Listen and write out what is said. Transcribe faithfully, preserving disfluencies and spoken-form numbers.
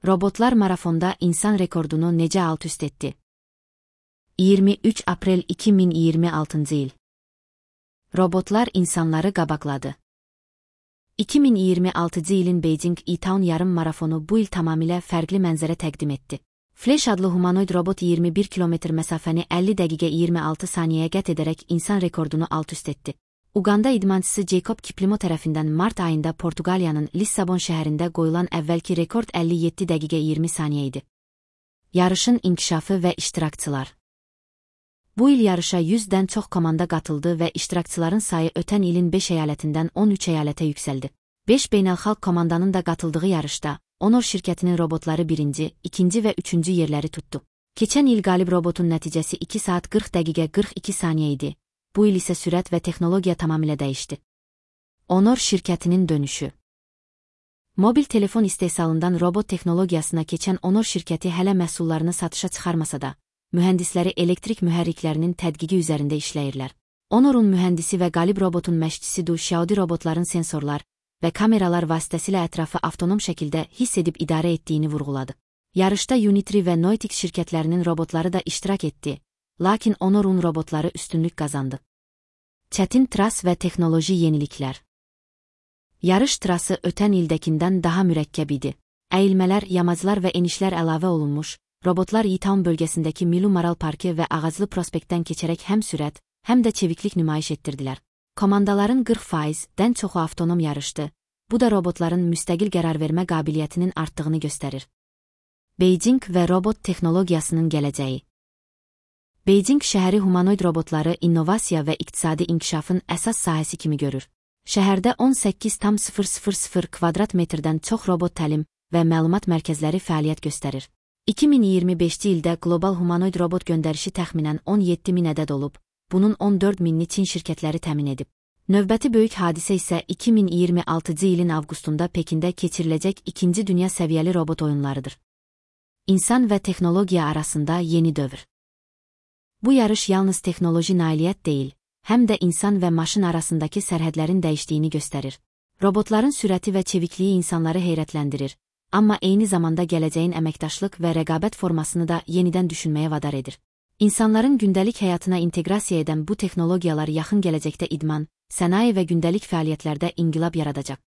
Robotlar marafonda insan rekordunu necə alt-üst etdi? iyirmi üç aprel iki min iyirmi altıncı il. Robotlar insanları qabaqladı. iki min iyirmi altıncı ilin Beijing E-Town yarım marafonu bu il tamamilə fərqli mənzərə təqdim etdi. Flash adlı humanoid robot iyirmi bir kilometr məsafəni əlli dəqiqə iyirmi altı saniyəyə qət edərək insan rekordunu alt-üst etdi. Uganda idmançısı Jacob Kiplimo tərəfindən mart ayında Portuqaliyanın Lissabon şəhərində qoyulan əvvəlki rekord əlli yeddi dəqiqə iyirmi saniyə idi. Yarışın inkişafı və iştirakçılar. Bu il yarışa yüzdən çox komanda qatıldı və iştirakçıların sayı ötən ilin beş əyalətindən on üç əyalətə yüksəldi. beş beynəlxalq komandanın da qatıldığı yarışda Honor şirkətinin robotları birinci, ikinci və üçüncü yerləri tutdu. Keçən il qalib robotun nəticəsi iki saat qırx dəqiqə qırx iki saniyə idi. Bu il isə sürət və texnologiya tamamilə dəyişdi. Honor şirkətinin dönüşü. Mobil telefon istehsalından robot texnologiyasına keçən Honor şirkəti hələ məhsullarını satışa çıxarmasa da, mühəndisləri elektrik mühərriklərinin tədqiqi üzərində işləyirlər. Honor'un mühəndisi və qalib robotun məşqçisi Du Xiaodi robotların sensorlar və kameralar vasitəsilə ətrafı avtonom şəkildə hiss edib idarə etdiyini vurğuladı. Yarışda Unitri və Noitix şirkətlərinin robotları da iştirak etdi, lakin Honor'un robotları üstünlük qazandı. Çətin tras və texnoloji yeniliklər. Yarış trası ötən ildəkindən daha mürəkkəb idi. Əyilmələr, yamaclar və enişlər əlavə olunmuş, robotlar E-Town bölgəsindəki Milu Maral Parkı və Ağaclı Prospektdən keçərək həm sürət, həm də çeviklik nümayiş etdirdilər. Komandaların qırx faizdən çoxu avtonom yarışdı. Bu da robotların müstəqil qərar vermə qabiliyyətinin artdığını göstərir. Beijing və robot texnologiyasının gələcəyi. Beijing şəhəri humanoid robotları innovasiya və iqtisadi inkişafın əsas sahəsi kimi görür. Şəhərdə on səkkiz min kvadrat metrdən çox robot təlim və məlumat mərkəzləri fəaliyyət göstərir. iki min iyirmi beşinci ildə qlobal humanoid robot göndərişi təxminən on yeddi min ədəd olub, bunun on dörd minini Çin şirkətləri təmin edib. Növbəti böyük hadisə isə iki min iyirmi altıncı ilin avqustunda Pekində keçiriləcək ikinci dünya səviyyəli robot oyunlarıdır. İnsan və texnologiya arasında yeni dövr. Bu yarış yalnız texnoloji nailiyyət deyil, həm də insan və maşın arasındakı sərhədlərin dəyişdiyini göstərir. Robotların sürəti və çevikliyi insanları heyrətləndirir, amma eyni zamanda gələcəyin əməkdaşlıq və rəqabət formasını da yenidən düşünməyə vadar edir. İnsanların gündəlik həyatına inteqrasiya edən bu texnologiyalar yaxın gələcəkdə idman, sənaye və gündəlik fəaliyyətlərdə inqilab yaradacaq.